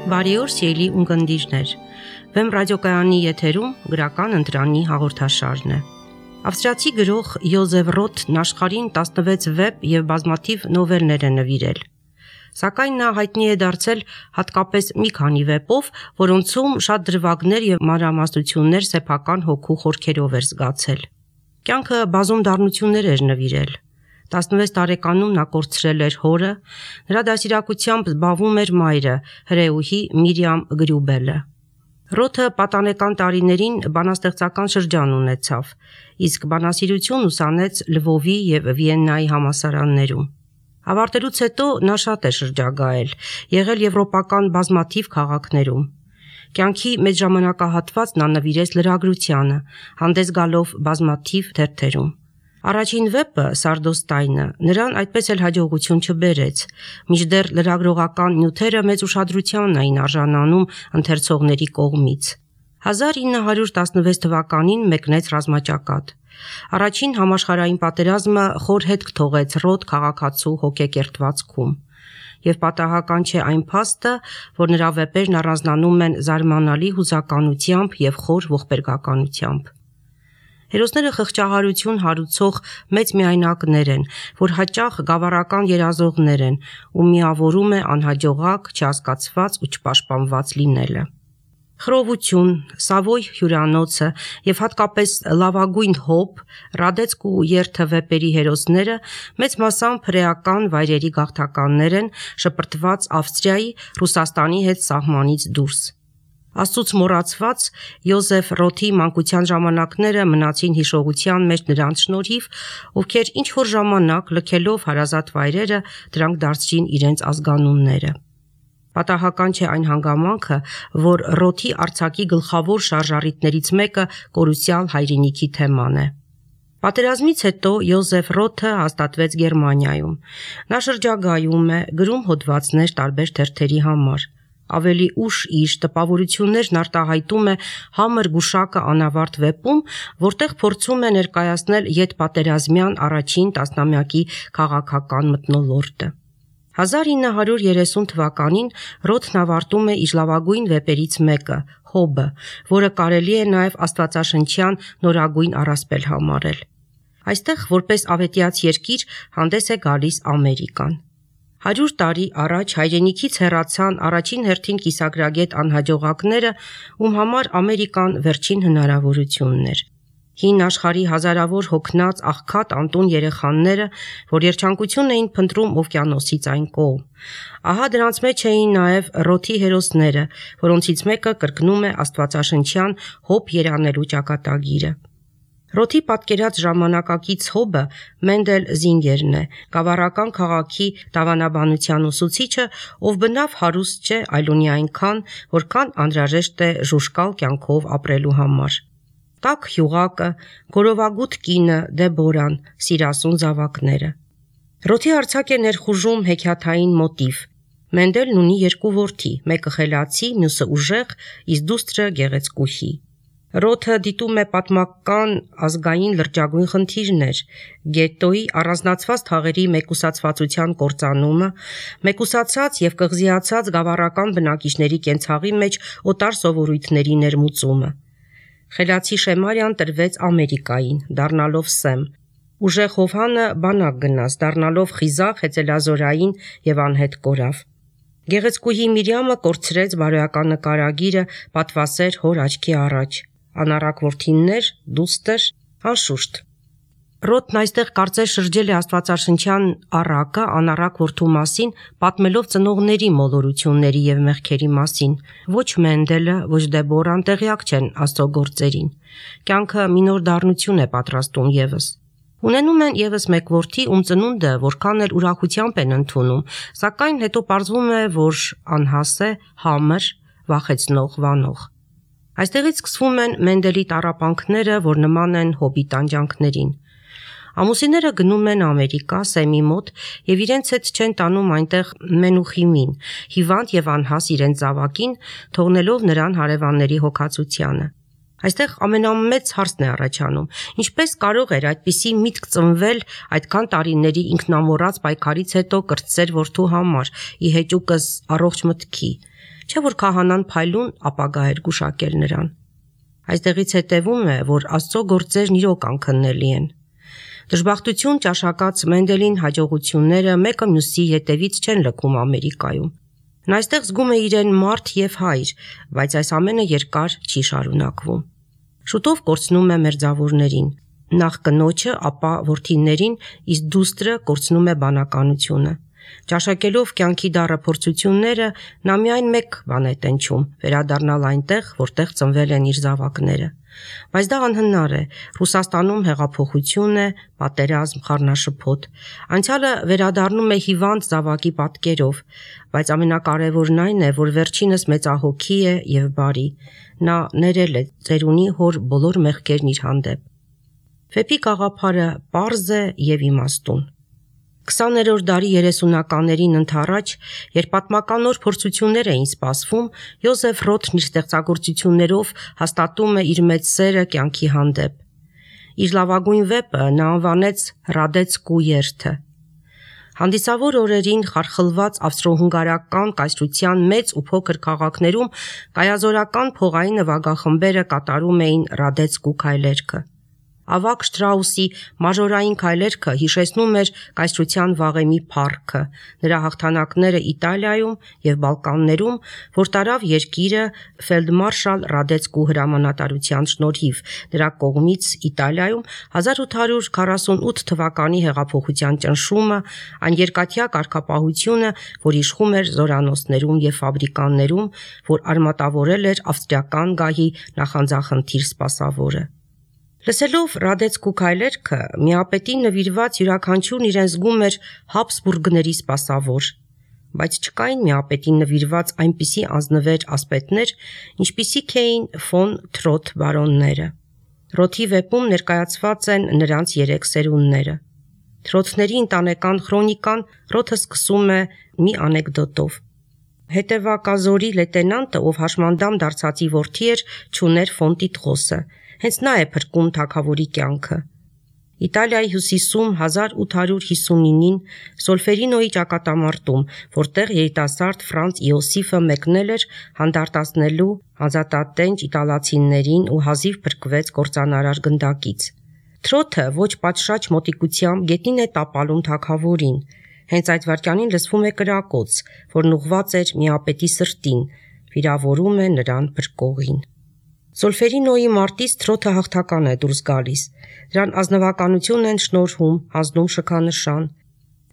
Բարի օր սիրելի ունկնդիրներ, Վեմ ռադիոկայանի եթերում գրական ընտրանի հաղորդաշարն է։ Ավստրիացի գրող Յոզեֆ Ռոթն աշխարհին 16 վեպ և բազմաթիվ նովելներ է նվիրել։ Սակայն նա հայտնի է դարձել հատկապես մի քանի վեպով, որոնցում շատ դրվագներ և մանրամասնություններ սեփական հոգու խորքերով էր զգացել։ Կյանքը բազում դառնություններ էր նվիրել։ 16 տարեկանում նա կորցրել էր հորը, նրա դաստիարակությամբ զբաղվում էր մայրը, հրեուհի Միրիամ Գրյուբելը։ Ռոթը պատանեկան տարիներին բանաստեղծական շրջան ունեցավ, իսկ բանասիրություն ուսանեց Լվովի և Վիեննայի համալսարաններում։ Ավարտելուց հետո նա շատ է շրջագայել, եղել եվրոպական բազմաթիվ քաղաքներում։ Կյանքի մեծ ժամանակահատված նա նվիրեց լրագրությանը, հանդես գալով բազմաթիվ թերթերում։ Առաջին վեպը Սարդոստայնը նրան այդպես էլ հաջողություն չբերեց, մինչդեռ լրագրողական նյութերը մեծ ուշադրության էին արժանանում ընթերցողների կողմից։ 1916 թվականին մեկնեց ռազմաճակատ։ Առաջին համաշխարհային պատերազմը խոր հետք թողեց Ռոթ քաղաքացու հոգեկերտվածքում։ Եվ պատահական չէ այն փաստը, որ նրա վեպերն առանձնանում են զարմանալի հուզականությամբ և խոր ողբերգականությամբ։ Հերոսները խղճահարություն հարուցող մեծ միայնակներ են, որ հաճախ գավառական երազողներ են, ու միավորում է անհաջողակ, չհասկացված ու չպաշտպանված լինելը։ Խռովություն, Սավոյ հյուրանոցը և հատկապես Լավագույն հոբ, Ռադեցկ ու երթը վեպերի հերոսները մեծ մասամբ հրեական վայրերի գաղթականներ են, շպրտված Ավստրիայի, Ռուսաստանի հետ սահմանից դուրս։ Աստծուց մոռացված Յոզեֆ Ռոթի մանկության ժամանակները մնացին հիշողության մեջ նրանց շնորհիվ, ովքեր ինչ-որ ժամանակ լքելով հարազատ վայրերը դրանք դարձրին իրենց ազգանունները։ Պատահական չէ այն հանգամանքը, որ Ռոթի արձակի գլխավոր շարժառիթներից մեկը կորուսյալ հայրենիքի թեման է։ Պատերազմից հետո Յոզեֆ Ռոթը հաստատվեց Գերմանիայում։ Նա շրջագայում է, գրում հոդվածներ տարբեր թերթերի համար։ Ավելի ուշ իր տպավորություններն արտահայտում է Համր գուշակը անավարտ վեպում, որտեղ փորձում է ներկայացնել ետպատերազմյան առաջին տասնամյակի քաղաքական մթնոլորտը։ 1930 թվականին Ռոթն ավարտում է իր լավագույն վեպերից մեկը՝ Հոբը, որը կարելի է նաև աստվածաշնչյան նորագույն առասպել համարել։ Այստեղ որպես ավետյաց երկիր հանդես է գալիս Ամերիկան։ 100 տարի առաջ հայրենիքից հեռացան առաջին հերթին կիսագրագետ անհաջողակները, ում համար Ամերիկան վերջին հնարավորությունն էր։ Հին աշխարհի հազարավոր հոգնած աղքատ անտուն երեխաները, որ երջանկություն էին փնտրում օվկիանոսից այն կողմ։ Ահա դրանց մեջ էին նաև Ռոթի հերոսները, որոնցից մեկը կրկնում է աստվածաշնչյան Հոբ երանելու ճակատագիրը։ Ռոթի պատկերած ժամանակակից Հոբը Մենդել Զինգերն է, գավառական քաղաքի դավանաբանության ուսուցիչը, ով բնավ հարուստ չէ, այլ ունի այնքան, որքան անհրաժեշտ է ժուժկալ կյանքով ապրելու համար։ Տաք հյուղակը, գորովագութ կինը, Դեբորան, սիրասուն զավակները։ Ռոթի արձակ է ներխուժում հեքիաթային մոտիվ։ Մենդելն ունի երկու որդի, մեկը խելացի, մյուսը ուժեղ, իսկ դուստրը գեղեցկուհի։ Ռոթը դիտում է պատմական ազգային լրջագույն խնդիրներ՝ գետոյի առանձնացված թաղերի մեկուսացվածության կործանումը, մեկուսացած և կղզիացած գավառական բնակիչների կենցաղի մեջ օտար սովորույթների ներմուծումը։ Խելացի Շեմարիան տրվեց Ամերիկային, դառնալով սեմ։ Ուժեղ Հովհանը բանակ գնաց, դառնալով խիզախ, հեծելազորային և անհետ կորավ։ Գեղեցկուհի Միրիամը կորցրեց բարոյական նկարագիրը, պատվասեր հոր աչքի առաջ։ Անառակ որդիներ, դուստր, անշուշտ։ Ռոթն այստեղ կարծես շրջել է աստվածաշնչյան առակը անառակ որդու մասին, պատմելով ծնողների մոլորությունների և մեղքերի մասին։ Ոչ Մենդելը, ոչ Դեբորան տեղյակ չեն Աստծո գործերին։ Կյանքը մի նոր դառնություն է պատրաստում ևս։ Ունենում են ևս մեկ որդի, ում ծնունդը որքան էլ ուրախությամբ են ընդունում, սակայն հետո պարզվում է, որ անհաս է, համր, վախեցնող, վանող։ Այստեղից սկսվում են Մենդելի տառապանքները, որ նման են Հոբի տանջանքներին։ Ամուսինները գնում են Ամերիկա, Սեմի մոտ, և իրենց հետ չեն տանում այնտեղ Մենուխիմին, հիվանդ և անհաս իրենց զավակին, թողնելով նրան հարևանների հոգածությանը։ Այստեղ ամենամեծ հարցն է առաջանում. ինչպես կարող էր այդպիսի միտք ծնվել այդքան տարիների ինքնամոռաց պայքարից հետո կրտսեր որդու համար, ի հեճուկս առողջ մտքի։ չէ որ քահանան փայլուն ապագա էր գուշակել նրան։ Այստեղից հետևում է, որ Աստծո գործերն իրոք անքննելի են։ Դժբախտություն ճաշակած Մենդելին հաջողությունները մեկը մյուսի հետևից չեն լքում Ամերիկայում։ Նա այստեղ զգում է իրեն մարդ եւ հայր, բայց այս ամենը երկար չի շարունակվում։ Շուտով կորցնում է մերձավորներին, նախ կնոջը, ապա որդիներին, իսկ դուստրը կորցնում է բանականությունը։ Ճաշակելով կյանքի դառը փորձությունները, նա միայն մեկ բան է տենչում՝ վերադառնալ այնտեղ, որտեղ ծնվել են իր զավակները։ Բայց դա անհնար է։ Ռուսաստանում հեղափոխություն է, պատերազմ, խառնաշփոթ։ Անցյալը վերադառնում է հիվանդ զավակի պատկերով, բայց ամենակարևորն այն է, որ վերջինս մեծահոգի է եւ բարի։ Նա ներել է ծերունի հոր բոլոր մեղքերն իր հանդեպ։ Վեպի գաղափարը պարզ է եւ իմաստուն։ 20-րդ դարի 30-ականներին ընդառաջ, երբ պատմական նոր փորձություններ էին սպասվում, Յոզեֆ Ռոթն իր ստեղծագործություններով հաստատում է իր մեծ սերը կյանքի հանդեպ։ Իր լավագույն վեպը նա անվանեց «Ռադեցկու երթը»։ Հանդիսավոր օրերին խարխլված ավստրո-հունգարական կայսրության մեծ ու փոքր քաղաքներում կայազորական փողային նվագախմբերը կատարում էին Ռադեցկու քայլերքը։ Ավագ Շտրաուսի մաժորային քայլերքը հիշեցնում էր կայսրության վաղեմի փառքը, նրա հաղթանակները Իտալիայում եւ Բալկաններում, որ տարավ երկիրը ֆելդմարշալ Ռադեցկու հրամանատարության շնորհիվ, նրա կողմից Իտալիայում 1848 թվականի հեղափոխության ճնշումը, այն երկաթյա կարգապահությունը, որ իշխում էր զորանոցներում եւ ֆաբրիկաներում, որ արմատավորել էր ավստրիական գահի նախանձախնդիր սպասավորը։ Լսելով Ռադեցկու քայլերքը, միապետին նվիրված յուրաքանչյուրն իրեն զգում էր Հաբսբուրգների սպասավոր, բայց չկային միապետին նվիրված այնպիսի անձնվեր ասպետներ, ինչպիսիք էին ֆոն Թրոթ բարոնները։ Ռոթի վեպում ներկայացված են նրանց 3 սերունդները։ Թրոթների ընտանեկան քրոնիկան Ռոթը սկսում է մի անեկդոտով։ Հետևակազորի լեյտենանտը, ով հաշմանդամ դարձածի որդի էր, չուներ ֆոն Տիտղոսը։ Հենց նա է փրկում թագավորի կյանքը։ Իտալիայի հյուսիսում 1859-ին Սոլֆերինոյի ճակատամարտում, որտեղ երիտասարդ Ֆրանց Իոսիֆը մեկնել էր հանդարտացնելու հանձատատենչ իտալացիներին ու հազիվ փրկվեց կործանարար գնդակից։ Թրոթը ոչ պատշաճ մոտիկությամբ գետնին է տապալում թագավորին։ Հենց այդ վայրկյանին լսվում է կրակոց, որն ուղղված էր միապետի սրտին, վիրավորում է նրան փրկողին։ Սոլֆերինոյի մարտից Թրոթը հաղթական է դուրս գալիս։ Դրան ազնվականություն են շնորհում, հանձնում շքանշան։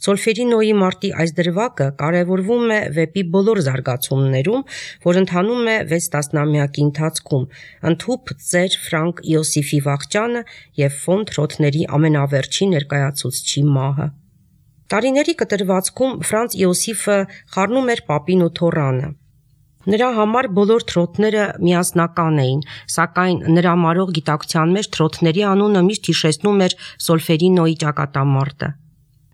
Սոլֆերինոյի մարտի այս դրվագը կարևորվում է վեպի բոլոր զարգացումներում, որ ընթանում է 6 տասնամյակի ընթացքում, ընդհուպ ծեր Ֆրանկ Իոսիֆի վախճանը եւ ֆոն Թրոթների ամենավերջին ներկայացուցչի մահը։ Տարիների կտրվածքում Ֆրանց Իոսիֆը խառնում էր պապին ու թոռանը։ Նրա համար բոլոր թրոթները միասնական էին, սակայն նրա մարող գիտակցության մեջ թրոթների անունը միշտ հիշեցնում էր Սոլֆերինոյի ճակատամարտը։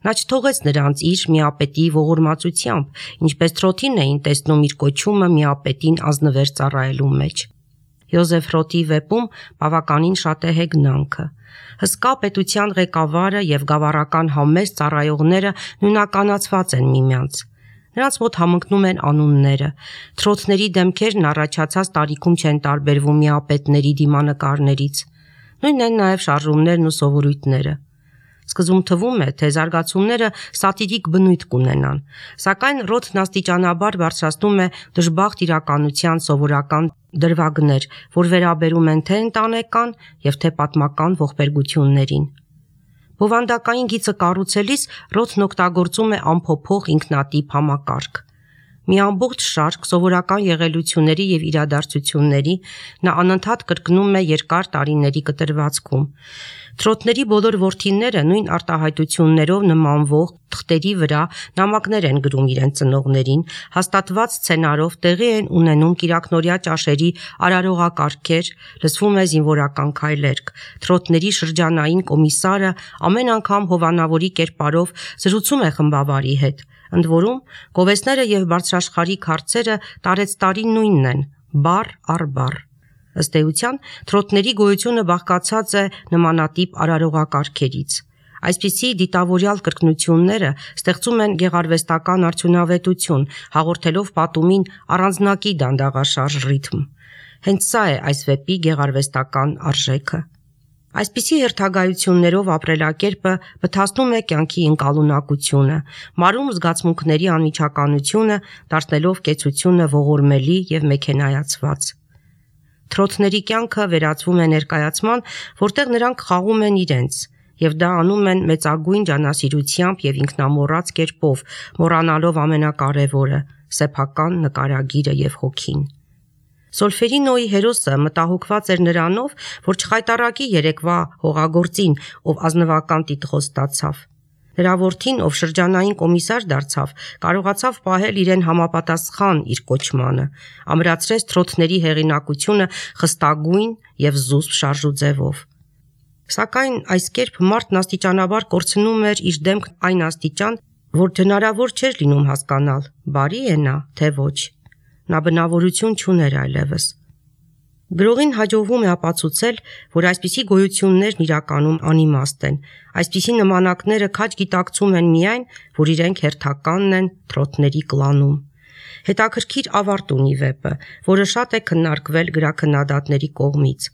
Նա չթողեց նրանց իր միապետի ողորմածությամբ, ինչպես Թրոթին էին տեսնում իր կոչումը միապետին ազնվեր ծառայելու մեջ։ Յոզեֆ Ռոթի վեպում բավականին շատ է հեգնանքը։ Հսկա պետության ղեկավարը եւ գավառական համեստ ծառայողները նույնականացված են միմյանց։ Նրանց մոտ համընկնում են անունները։ Թրոթների դեմքերն առաջացած տարիքում չեն տարբերվում միապետների դիմանկարներից։ Նույնն են նաև շարժումներն ու սովորույթները։ Սկզբում թվում է, թե զարգացումները սատիրիկ բնույթ կունենան, սակայն Ռոթն աստիճանաբար բարձրացնում է դժբախտ իրականության սովորական դրվագներ, որ վերաբերում են թե ընտանեկան եւ թե պատմական ողբերգություններին։ Բովանդակային գիծը կառուցելիս Ռոթն օգտագործում է անփոփոխ ինքնատիպ համակարգ։ Մի ամբողջ շարք սովորական եղելությունների եւ իրադարձությունների նա անընդհատ կրկնում է երկար տարիների կտրվածքում։ Թրոթների բոլոր որդիները նույն արտահայտություններով նմանվող թղթերի վրա նամակներ են գրում իրենց ծնողներին, հաստատված սցենարով տեղի են ունենում կիրակնօրյա ճաշերի արարողակարգեր, լսվում է զինվորական քայլերք։ Թրոթների շրջանային կոմիսարը ամեն անգամ հովանավորի կերպարով զրուցում է խմբավարի հետ։ Ընդ որում, գովեստները եւ բարձրաշխարհիկ հարցերը տարեցտարի նույնն են, բառ առ բառ։ Ըստ էության, թրոթների գոյությունը բաղկացած է նմանատիպ արարողակարգերից։ Այսպիսի դիտավորյալ կրկնությունները ստեղծում են գեղարվեստական արդյունավետություն, հաղորդելով պատումին առանձնակի դանդաղաշարժ ռիթմ։ Հենց սա է այս վեպի գեղարվեստական արժեքը։ Այսպիսի հերթագայություններով ապրելակերպը բթացնում է կյանքի ընկալունակությունը, մարում զգացմունքների անմիջականությունը, դարձնելով կեցությունը ողորմելի և մեքենայացված։ Թրոթների կյանքը վերածվում է ներկայացման, որտեղ նրանք խաղում են իրենց, և դա անում են մեծագույն ջանասիրությամբ և ինքնամոռաց կերպով, մոռանալով ամենակարևորը՝ սեփական նկարագիրը և հոգին։ Սոլֆերինոյի հերոսը մտահոգված էր նրանով, որ չխայտառակի երեկվա հողագործին, ով ազնվական տիտղոս ստացավ։ Նրա որդին, ով շրջանային կոմիսար դարձավ, կարողացավ պահել իրեն համապատասխան իր կոչմանը, ամրացրեց թրոթների հեղինակությունը խստագույն և զուսպ շարժուձևով։ Սակայն այս կերպ մարդն աստիճանաբար կորցնում էր իր դեմքն այն աստիճան, որ հնարավոր չէր լինում հասկանալ՝ բարի է նա, թե ոչ։ Նա բնավորություն չուներ այլևս։ Գրողին հաջողվում է ապացուցել, որ այսպիսի գոյություններն իրականում անիմաստ են, այսպիսի նմանակները քաջ գիտակցում են միայն, որ իրենք հերթականն են թրոթների կլանում։ Հետաքրքիր ավարտ ունի վեպը, որը շատ է քննարկվել գրաքննադատների կողմից։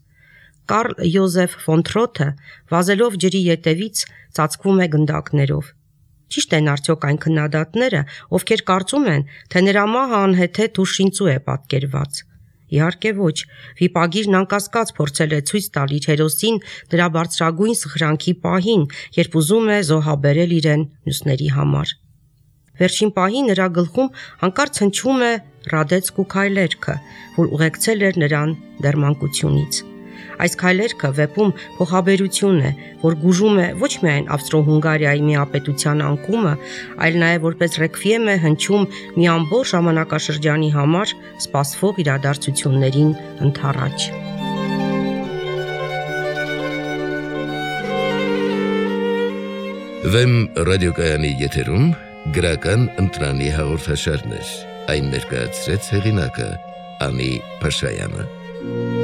Կարլ Յոզեֆ ֆոն Թրոթը, վազելով ջրի ետևից, ծածկվում է գնդակներով։ Ճիշտ են արդյոք այն քննադատները, ովքեր կարծում են, թե նրա մահը անհեթեթ ու շինծու է պատկերված։ Իհարկե ոչ, վիպագիրն անկասկած փորձել է ցույց տալ իր հերոսին դրա բարձրագույն սխրանքի պահին, երբ ուզում է զոհաբերել իրեն մյուսների համար։ Վերջին պահին նրա գլխում հանկարծ հնչում է Ռադեցկու քայլերքը, որ ուղեկցել էր նրան դեռ մանկությունից։ Այս քայլերքը վեպում փոխաբերություն է, որ գուժում է ոչ միայն Ավստրո-Հունգարիայի միապետության անկումը, այլ նաև որպես ռեքվիեմ է հնչում մի ամբողջ ժամանակաշրջանի համար սպասվող իրադարձություններին ընդառաջ։ Վեմ ռադիոկայանի եթերում գրական ընտրանի հաղորդաշարներ, այն ներկայացրեց հեղինակը Անի Փաշայանը։